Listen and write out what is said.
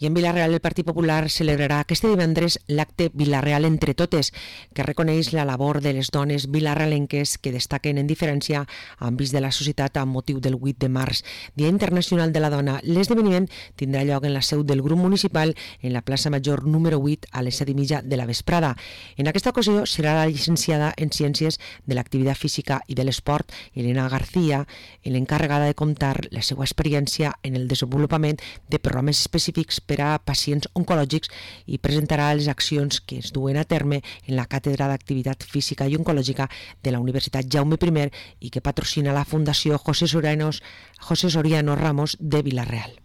I en Vila-real el Partit Popular celebrarà aquest divendres l'acte Vila-real entre totes, que reconeix la labor de les dones vilarrealenques que destaquen en diferència àmbits de la societat amb motiu del 8 de març, Dia Internacional de la Dona. L'esdeveniment tindrà lloc en la seu del grup municipal en la plaça Major número 8 a les 7:30 de la vesprada. En aquesta ocasió serà la llicenciada en Ciències de l'Activitat Física i de l'Esport, Elena García, l'encarregada de contar la seva experiència en el desenvolupament de programes específics per a pacients oncològics i presentarà les accions que es duen a terme en la Càtedra d'Activitat Física i Oncològica de la Universitat Jaume I i que patrocina la Fundació José Soriano Ramos de Vila-real.